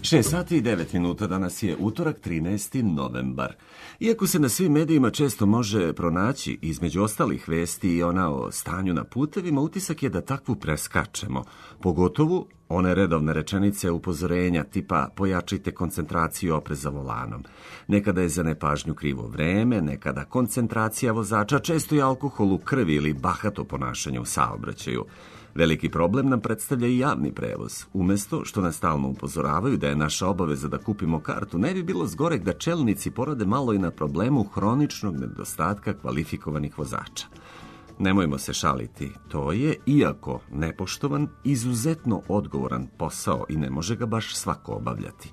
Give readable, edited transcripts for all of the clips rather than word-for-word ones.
6 sati i 9 minuta, danas je utorak 13. novembar. Iako se na svim medijima često može pronaći između ostalih vesti i ona o stanju na putevima, utisak je da takvu preskačemo, pogotovo one redovne rečenice upozorenja tipa pojačajte koncentraciju i oprez za volanom. Nekada je za nepažnju krivo vreme, nekada koncentracija vozača, često i alkohol u krvi ili bahato ponašanje u saobraćaju. Veliki problem nam predstavlja i javni prevoz. Umesto što nas stalno upozoravaju da je naša obaveza da kupimo kartu, ne bi bilo zgoreg da čelnici porade malo i na problemu hroničnog nedostatka kvalifikovanih vozača. Nemojmo se šaliti, to je, iako nepoštovan, izuzetno odgovoran posao i ne može ga baš svako obavljati.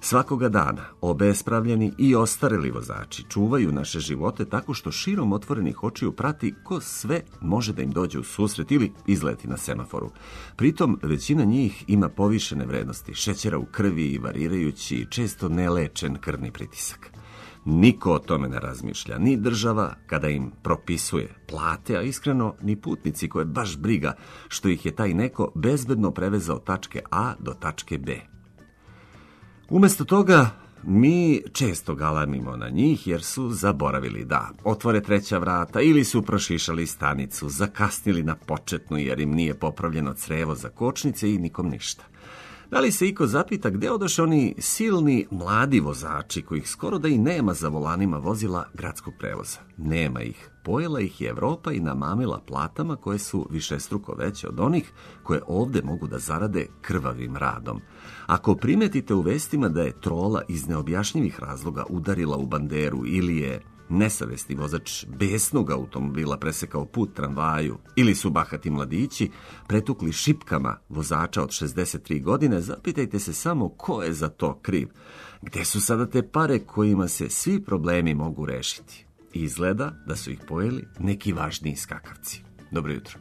Svakoga dana obespravljeni i ostareli vozači čuvaju naše živote tako što širom otvorenih očiju prati ko sve može da im dođe u susret ili izleti na semaforu. Pritom većina njih ima povišene vrednosti šećera u krvi i varirajući često nelečen krvni pritisak. Niko o tome ne razmišlja, ni država kada im propisuje plate, a iskreno ni putnici koje baš briga što ih je taj neko bezbedno prevezao od tačke A do tačke B. Umesto toga, mi često galamimo na njih jer su zaboravili da otvore treća vrata ili su prošišali stanicu, zakasnili na početnu jer im nije popravljeno crevo za kočnice i nikom ništa. Da li se iko zapita gde odoše oni silni mladi vozači kojih skoro da i nema za volanima vozila gradskog prevoza? Nema ih. Pojela ih je Evropa i namamila platama koje su višestruko veće od onih koje ovde mogu da zarade krvavim radom. Ako primetite u vestima da je trola iz neobjašnjivih razloga udarila u banderu ili je nesavesni vozač besnog automobila presekao put tramvaju ili su bahati mladići pretukli šipkama vozača od 63 godine, zapitajte se samo ko je za to kriv. Gde su sada te pare kojima se svi problemi mogu rešiti? Izgleda da su ih pojeli neki važniji skakavci. Dobro jutro.